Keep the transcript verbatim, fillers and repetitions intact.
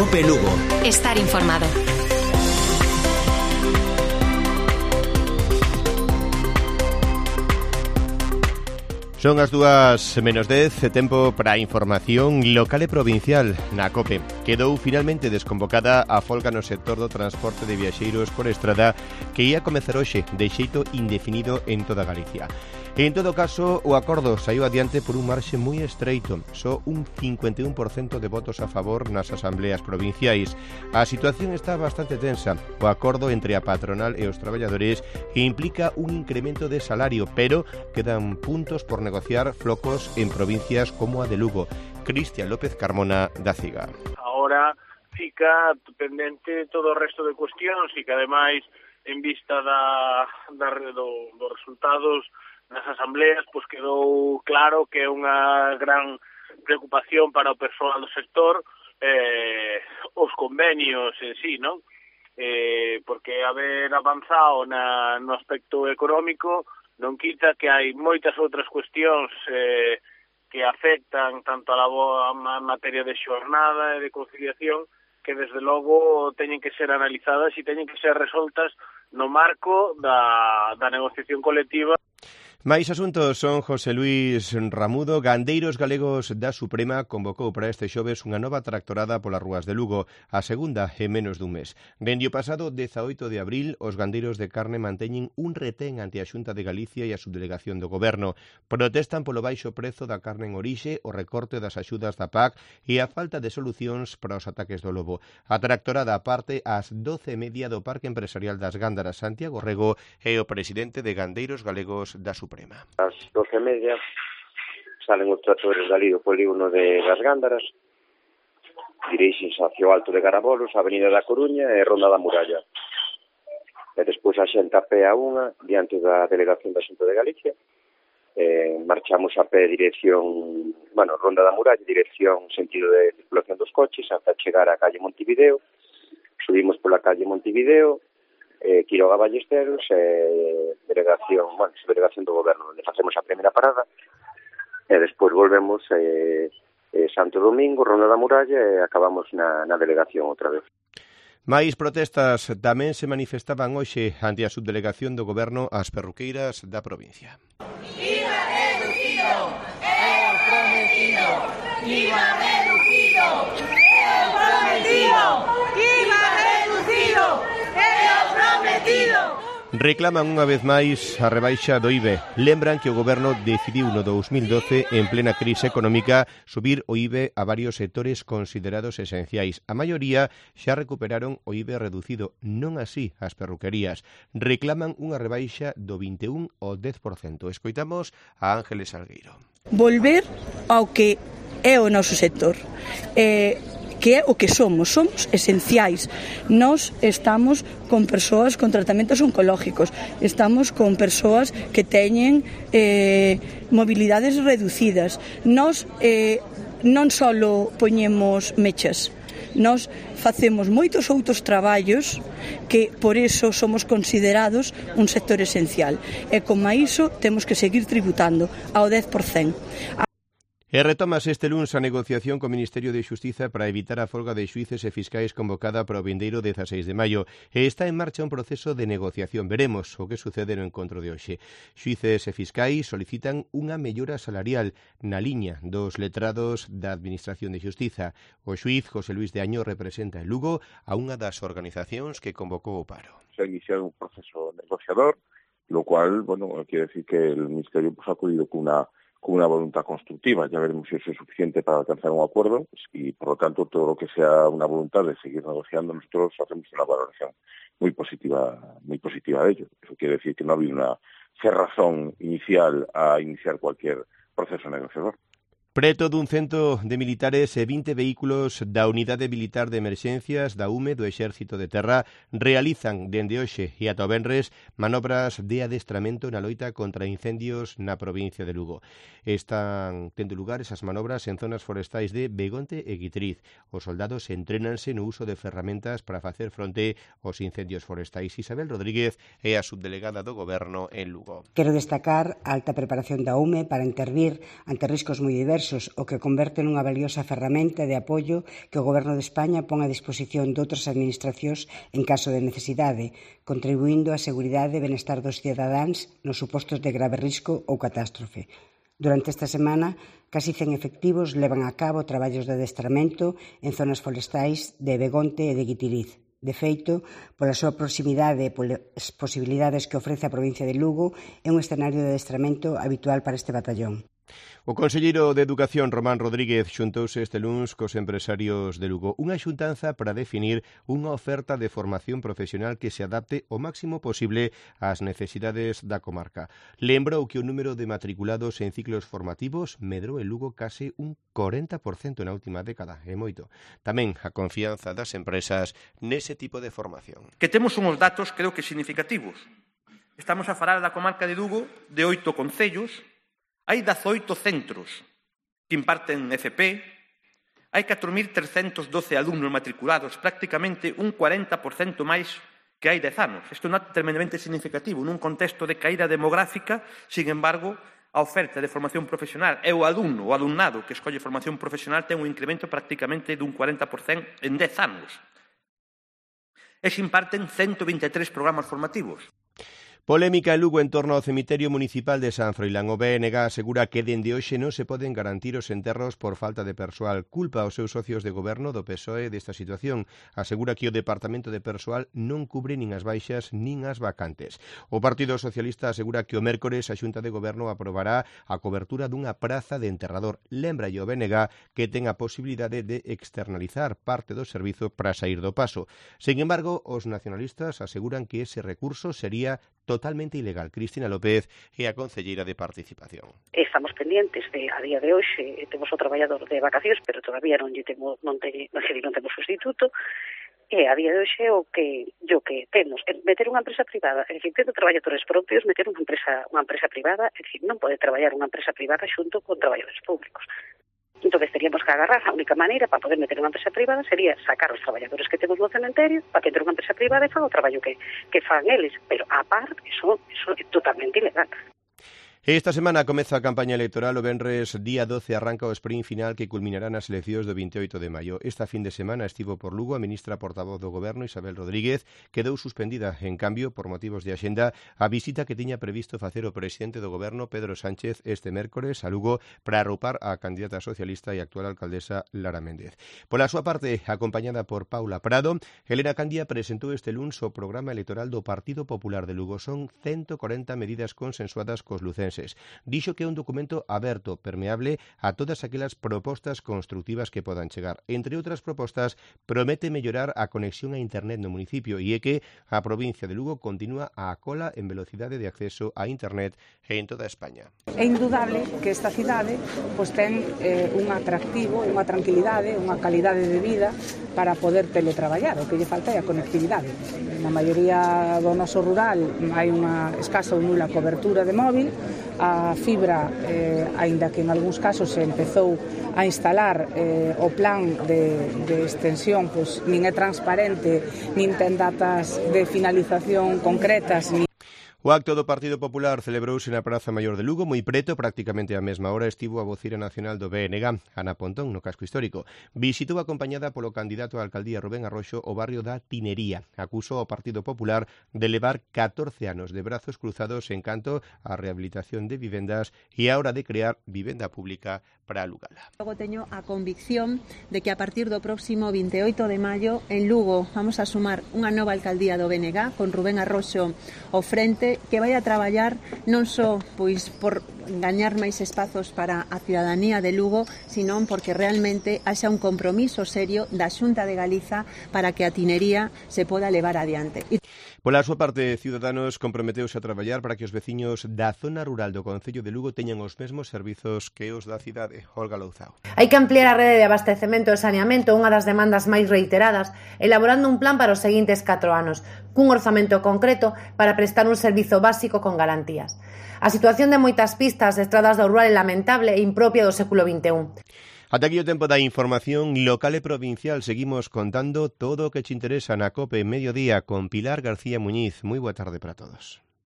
COPE Lugo. Estar informado. Son as dúas menos dez, tempo para a información local e provincial na COPE. Quedou finalmente desconvocada a folga no sector do transporte de viaxeiros por estrada que ia comezar hoxe de xeito indefinido en toda Galicia. En todo caso, o acordo saiu adiante por un marxe moi estreito, só un cincuenta e un por cento de votos a favor nas asambleas provinciais. A situación está bastante tensa. O acordo entre a patronal e os traballadores implica un incremento de salario, pero quedan puntos por negociar flocos en provincias como a de Lugo. Cristian López Carmona, da CIGA. Ahora fica pendente todo o resto de cuestións e que ademais en vista da, da do, dos resultados nas asambleas, pois quedou claro que é unha gran preocupación para o persoal do sector eh, os convenios en sí, non? Eh, porque haber avanzado na, no aspecto económico non quita que hai moitas outras cuestións eh, que afectan tanto a la a materia de xornada e de conciliación que desde logo teñen que ser analizadas e teñen que ser resoltas no marco da, da negociación colectiva. Máis asuntos son José Luís Ramudo. Gandeiros Galegos da Suprema convocou para este xoves unha nova tractorada polas rúas de Lugo, a segunda en menos dun mes. Dende o pasado dezaoito de abril, os gandeiros de carne manteñen un retén ante a Xunta de Galicia e a subdelegación do Goberno. Protestan polo baixo prezo da carne en orixe, o recorte das axudas da P A C e a falta de solucións para os ataques do lobo. A tractorada parte ás doce e media do Parque Empresarial das Gándaras. Santiago Rego é o presidente de Gandeiros Galegos da Suprema. Ás doce e media salen os tractores dali do polígono de das Gándaras, dirixense hacia o Alto de Garabolos, a Avenida da Coruña e Ronda da Muralla. E despois a xente a pé a unha, diante da delegación da Xunta de Galicia. Eh, marchamos a pé dirección, bueno, Ronda da Muralla, dirección sentido de circulación dos coches, hasta chegar á calle Montevideo. Subimos pola calle Montevideo, eh, Quiroga Ballesteros, eh, delegación, bueno, delegación do Goberno, onde facemos a primeira parada, e despois volvemos eh, eh, Santo Domingo, Ronda da Muralla, e acabamos na, na delegación outra vez. Mais protestas tamén se manifestaban hoxe ante a subdelegación do Goberno ás perruqueiras da provincia. IVA reducido, é o prometido. IVA reducido, é o prometido. IVA reducido, é o prometido. Reclaman unha vez máis a rebaixa do I V E. Lembran que o Goberno decidiu no dous mil doce, en plena crise económica, subir o I V E a varios sectores considerados esenciais. A maioría xa recuperaron o I V E reducido, non así as perruquerías. Reclaman unha rebaixa do vinte e un ao dez por cento. Escoitamos a Ángeles Salgueiro. Volver ao que é o noso sector. Eh, que é o que somos, somos esenciais. Nós estamos con persoas con tratamentos oncológicos, estamos con persoas que teñen eh, mobilidades reducidas. Nós eh, non só poñemos mechas, nós facemos moitos outros traballos que por iso somos considerados un sector esencial. E como a iso temos que seguir tributando ao dez por cento. E retomase este luns a negociación co Ministerio de Xustiza para evitar a folga de xuíces e fiscais convocada para o vindeiro dezaseis de maio. E está en marcha un proceso de negociación. Veremos o que sucede no encontro de hoxe. Xuíces e fiscais solicitan unha mellora salarial na liña dos letrados da Administración de Xustiza. O xuíz José Luís de Año representa en Lugo a unha das organizacións que convocou o paro. Se ha iniciado un proceso negociador, lo cual, bueno, quiere decir que el Ministerio pues, ha acudido con una con una voluntad constructiva. Ya veremos si eso es suficiente para alcanzar un acuerdo y, por lo tanto, todo lo que sea una voluntad de seguir negociando, nosotros hacemos una valoración muy positiva, muy positiva de ello. Eso quiere decir que no ha habido una cerrazón inicial a iniciar cualquier proceso negociador. Preto dun cento de militares e vinte vehículos da Unidade Militar de Emerxencias da U M E do Exército de Terra realizan dende hoxe e ata o venres manobras de adestramento na loita contra incendios na provincia de Lugo. Están tendo lugar esas manobras en zonas forestais de Begonte e Guitriz. Os soldados entrénanse no uso de ferramentas para facer fronte aos incendios forestais. Isabel Rodríguez é a subdelegada do Goberno en Lugo. Quero destacar a alta preparación da U M E para intervir ante riscos moi diversos diversos, o que converte nunha valiosa ferramenta de apoio que o Goberno de España pon a disposición de outras administracións en caso de necesidade, contribuindo á seguridade e benestar dos cidadáns nos supostos de grave risco ou catástrofe. Durante esta semana, casi cen efectivos levan a cabo traballos de adestramento en zonas forestais de Begonte e de Guitiriz. De feito, pola súa proximidade e polas posibilidades que ofrece a provincia de Lugo, é un escenario de adestramento habitual para este batallón. O conselleiro de Educación, Román Rodríguez, xuntouse este luns cos empresarios de Lugo. Unha xuntanza para definir unha oferta de formación profesional que se adapte o máximo posible ás necesidades da comarca. Lembrou que o número de matriculados en ciclos formativos medrou en Lugo case un corenta por cento na última década, é moito. Tamén a confianza das empresas nese tipo de formación. Que temos unhos datos, creo que significativos. Estamos a falar da comarca de Lugo de oito concellos. Hai dezaoito centros que imparten F P, hai catro mil trescentos doce alumnos matriculados, prácticamente un cuarenta por cento máis que hai dez anos. Isto é un dato tremendamente significativo. Nun contexto de caída demográfica, sin embargo, a oferta de formación profesional e o alumno, o alumnado que escolle formación profesional ten un incremento prácticamente dun cuarenta por cento en dez anos. E se imparten ciento vinte e tres programas formativos. Polémica en Lugo en torno ao cemiterio municipal de San Froilán. O B N G asegura que dende hoxe non se poden garantir os enterros por falta de persoal. Culpa aos seus socios de goberno do P S O E desta situación. Asegura que o Departamento de Persoal non cubre nin as baixas nin as vacantes. O Partido Socialista asegura que o mércores a Xunta de Goberno aprobará a cobertura dunha praza de enterrador. Lembra o B N G que ten a posibilidade de externalizar parte do servizo para sair do paso. Sin embargo, os nacionalistas aseguran que ese recurso sería totalmente ilegal. Cristina López é a concelleira de Participación. Estamos pendientes de, a día de hoxe, temos o traballador de vacacións, pero todavía non lle temos, non, te, non, non temos sustituto, e a día de hoxe o que yo que temos é meter unha empresa privada, é dicir, tendo traballadores propios, meter unha empresa, unha empresa privada, é dicir, non pode traballar unha empresa privada xunto con traballadores públicos. Entón, teríamos que agarrar, a única maneira para poder meter unha empresa privada sería sacar os traballadores que temos no cementerio para que entre unha empresa privada e fan o traballo que, que fan eles, pero a par, eso, eso é totalmente ilegal. Esta semana comeza a campaña electoral. O venres día doce arranca o sprint final que culminará nas eleccións do veintioito de maio. Esta fin de semana estivo por Lugo a ministra portavoz do Goberno, Isabel Rodríguez, quedou suspendida, en cambio, por motivos de axenda, a visita que tiña previsto facer o presidente do Goberno, Pedro Sánchez, este mércores a Lugo para arroupar a candidata socialista e actual alcaldesa Lara Méndez. Pola súa parte, acompañada por Paula Prado, Elena Candia presentou este luns o programa electoral do Partido Popular de Lugo. Son ciento corenta medidas consensuadas cos lucenses. Dixo que é un documento aberto, permeable a todas aquelas propostas constructivas que podan chegar. Entre outras propostas, promete mellorar a conexión a internet no municipio e é que a provincia de Lugo continúa a cola en velocidade de acceso a internet en toda España. É indudable que esta cidade pois, ten eh, un atractivo, unha tranquilidade, unha calidade de vida para poder teletraballar. O que lle falta é a conectividade. Na maioría do noso rural hai unha escasa ou nula cobertura de móvil. A fibra, eh, aínda que en algúns casos se empezou a instalar eh, o plan de, de extensión, pois, nin é transparente, nin ten datas de finalización concretas, nin... O acto do Partido Popular celebrouse na Praza Maior de Lugo, moi preto, prácticamente á mesma hora estivo a voceira nacional do B N G, Ana Pontón, no casco histórico. Visitou acompañada polo candidato á alcaldía Rubén Arroxo o barrio da Tinería. Acusou ao Partido Popular de levar catorce anos de brazos cruzados en canto á rehabilitación de vivendas e á hora de crear vivenda pública para alugala. Logo teño a convicción de que a partir do próximo veintioito de maio en Lugo vamos a sumar unha nova alcaldía do B N G con Rubén Arroxo ao frente, que vai a traballar non só pois por gañar máis espazos para a cidadanía de Lugo, senón porque realmente haxa un compromiso serio da Xunta de Galiza para que a tinería se poda levar adiante. Pola súa parte, Ciudadanos comprometeuse a traballar para que os veciños da zona rural do concello de Lugo teñan os mesmos servizos que os da cidade. Olga Louzao. Hai que ampliar a rede de abastecemento e saneamento, unha das demandas máis reiteradas, elaborando un plan para os seguintes catro anos, cun orzamento concreto para prestar un servizo básico con garantías. A situación de moitas pistas de estradas do rural é lamentable e impropia do século vinte e un. Ata aquí o tempo da información local e provincial. Seguimos contando todo o que te interesa na COPE Mediodía con Pilar García Muñiz. Moi boa tarde para todos.